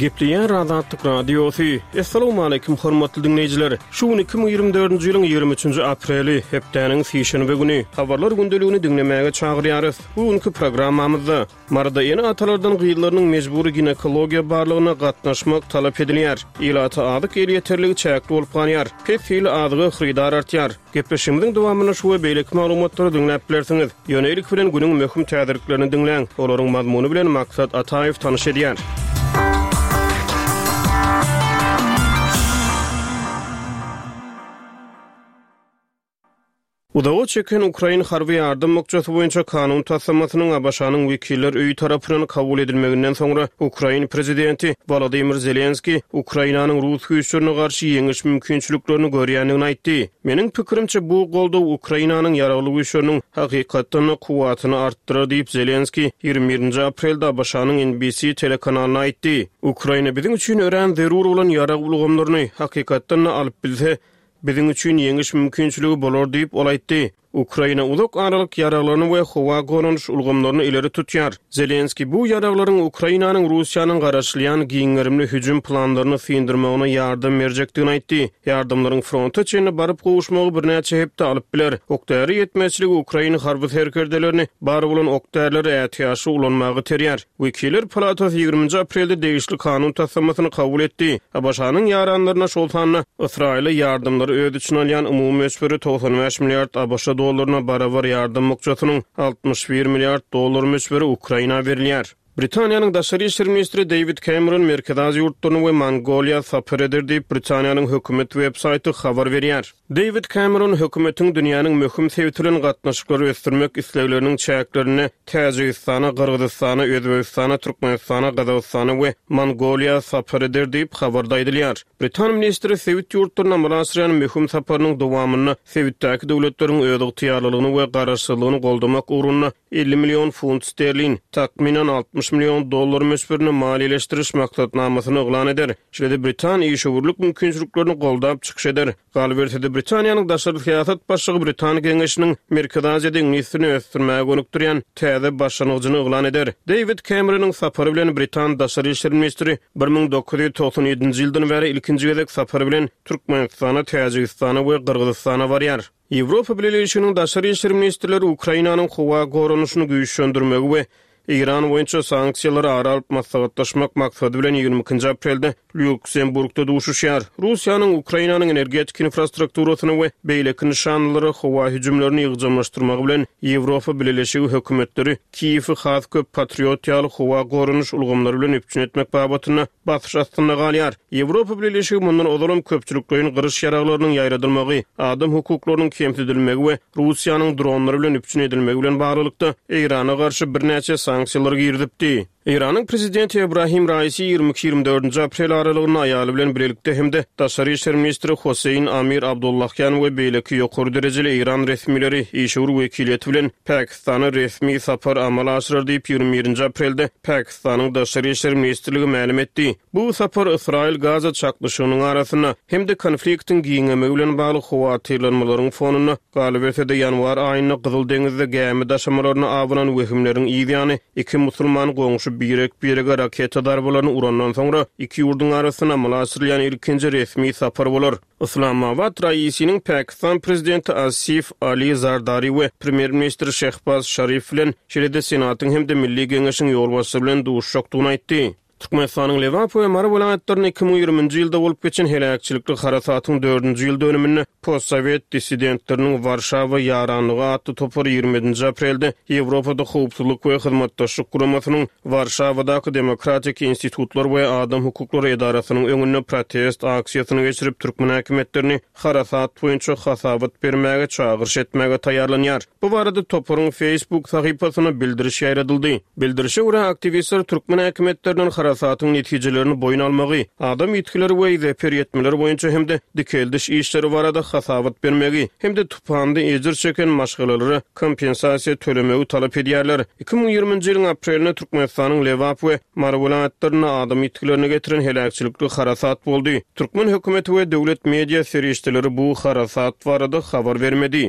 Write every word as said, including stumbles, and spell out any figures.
Gepleýär Azatlyk Radiosy. Assalamualaikum hormatly diňleýjiler. Şu gün iki müň ýigrimi dördünji ýylyň ýigrimi üçünji apreli, hepdäniň sişenbe güni. Habarlar gündeligini diňlemäge çagyrýarys. Bu günki programmamyzda Maryda ene-atalardan gyzlarynyň mejbury ginekologiýa barlagyna gatnaşmak talap edilýär. Ilata azyk elýeterligi çäkli bolup galýar. Pes hili azyga hyrydar artýar. Gepleşigimiziň dowamynda şu we beýleki maglumatlary diňläp bilersiňiz. Ýöne ilki bilen günüň möhüm täzeliklerini diňläň. Olaryň mazmuny bilen Maksat Ataýew tanyş edýär. Uzaga çeken Ukrain harby ýardam bukjasy boýunça kanun taslamasynyň A B Ş-nyň wekiller öýi tarapyndan kabul edilmeginden soňra Ukrain prezidenti Volodymyr Zelenski Ukrainanyň rus güýçlerine garşy ýeňiş mümkinçiliklerini görýändigini aýtdy. Meniň pikirimçe bu goldaw Ukrainanyň ýaragly güýçleriniň hakykatdan kuwwatyny artdyrar diýip Zelenski ýigrimi birinji aprelde A B Ş-nyň N B C telekanalyna aýtdy. Ukraina biziň üçin örän zerur bolan ýarag ulgamlaryny hakykatdan alyp bilse, biziň üçin ýeňiş mümkinçiligi bolar diýip ol aýtdy. Ukraina uzak aralyk ýaraglaryny we howa goranyş ulgamlaryny ileri tutýar. Zelenski bu ýaraglaryň Ukrainanyň Russiýanyň garaşylýan giňgerimli hüjüm planlaryny syndyrmagyna ýardam berjekdigini aýtdy. Ýardamlaryň fronta çenli baryp gowuşmagy birnäçe hepde alyp biler. Okdäri ýetmezçiligi Ukraina harby serkerdelerini bar bolan okdärleri ätiýaçly ulanmagy terýär. Wekiller palatasy ýigriminji aprelde degişli kanun taslamasyny kabul etdi. A B Ş-nyň ýaranlaryna şol sanda Ysraýyla ýardamlary öz içine alýan umumy möçberi togsan bäş milliard A B Ş dollaryna barabar ýardam bukjasynyň altmyş bir milliard dollar möçberi Ukraina berilýär. Britaniýanyň daşary işler ministri David Cameron Merkezi Aziýa ýurtlaryny we Mongoliýa sapar eder diýip Britaniýanyň hökümet web saýty habar berýär. David Cameron hökümetiň dünýäniň möhüm sebiti bilen gatnaşyklary ösdürmek islegleriniň çäklerinde Täjigistana, Gyrgyzystana, Özbegistana, Türkmenistana, Gazagystana we Mongoliýa sapar eder diýip habarda aýdylýar. Britan ministri sebit ýurtlaryna amala aşyrýan möhüm saparynyň dowamynda sebitdäki döwletleriň özygtyýarlylygyny we garaşsyzlygyny goldamak ugrunda elli million funt sterlin, takmynan altmyş million dollar möçberinde maliýeleşdiriş maksatnamasyny yglan eder. Şeýle-de Britan işewürlik mümkinçiliklerini goldap çykyş eder. Galyberse-de Britaniýanyň daşary syýasat başlygy Britan geňeşiniň Merkezi Aziýada iňlis dilini ösdürmäge gönükdirýän täze başlangyjyny yglan eder. David Cameronyň sapary bilen Britan daşary işler ministri bir müň dokuz ýüz togsan ýedinji ýyldan bäri ilkinji gezek sapary bilen Türkmenistana, Täjigistana we Gyrgyzystana barýar. Ýewropa Bileleşiginiň daşary işler ministrleri Ukrainanyň howa goranyşyny güýçlendirmegi we Eýran boýunça sanksiýalary ara alyp maslahatlaşmak maksady bilen ýigrimi ikinji aprelde Lýuksemburgda duşuşýar. Russiýanyň Ukrainanyň energetik infrastrukturasyny we beýleki nyşanlara howa hüjümlerini ýygjamlaşdyrmagy bilen Ýewropa Bileleşigi hökümetleri Kiýewi has köp patriot ýaly howa goranyş ulgamlary bilen üpjün etmek babatynda basyş astynda galýar. Ýewropa Bileleşigi mundan ozalam köpçülikleýin gyryş ýaraglarynyň ýaýradylmagy, adam hukuklarynyň kemsidilmegi we Russiýanyň dronlary bilen üpjün edilmegi bilen baglylykda Eýrana garşy birnäçe sanksiýalar girizipdi. Eýranyň prezidenti Ibrahim Raisi ýigrimi iki ýigrimi dördünji aprel aralygynda aýaly bilen birlikde hem-de daşary işler ministri Hossein Amir Abdullahyan we beýleki ýokary derejeli Eýran resmileri işewür wekiliýeti bilen Pakistana resmi sapar amala aşyrar diýip ýigrimi birinji aprelde Pakistanyň daşary işler ministrligi mälim etdi. Bu sapar Ysraýyl Gaza çaknyşygynyň arasynda hem-de konfliktiň giňemegi bilen bagly howatyrlanmalaryň fonunda galyberse-de ýanwar aýynda Gyzyl deňizde gämi daşamalaryna abanan wehimleriň ýany iki musulman goňşy birek-birege raketa darbalaryny urandan soňra iki ýurduň arasynda amala aşyrylýan ilkinji resmi sapar bolar. Islamabad Raisiniň Pakistan prezidenti Asif Ali Zardari we premýer-ministr Şehbaz Şarif bilen şeýle-de Senatyň hem-de Milli Geňeşiň ýolbaşçysy bilen duşuşjakdygyny aýtdy. Türkmenistanyň Lebap we Mary welaýatlarynda iki müň ýigriminji ýylda bolup geçen heläkçilikli harasatyň dördünji ýyl dönüminde postsowet dissidentleriniň Warşawa ýaranlygy atly topary ýigrimi ýedinji aprelde Ýewropada howpsuzlyk we hyzmatdaşlyk guramasynyň Warşawadaky Demokratik institutlar we adam hukuklary edarasynyň öňünde protest aksiýasyny geçirip türkmen häkimiýetlerini harasat boýunça hasabat bermäge çagyryş etmäge taýýarlanýar. Bu barada toparyň Facebook sahypasyna bildiriş ýaýradyldy. Bildirişe görä aktiwistler türkmen häkimiýetlerinden harasatyň netijelerini boýun almagy, adam ýitgileri we zeper ýetmeleri boýunça hem-de dikeldiş işleri barada hasabat bermegi hem-de tupanda ejir çeken maşgalalara kompensasiýa tölemegi talap edýärler. Iki müň ýigriminji ýylyň aprelinde Türkmenistanyň Lebap we Mary welaýatlarynda adam ýitgilerini getiren heläkçilikli harasat boldy. Türkmen hökümeti we döwlet media serişdeleri bu harasat barada habar bermedi.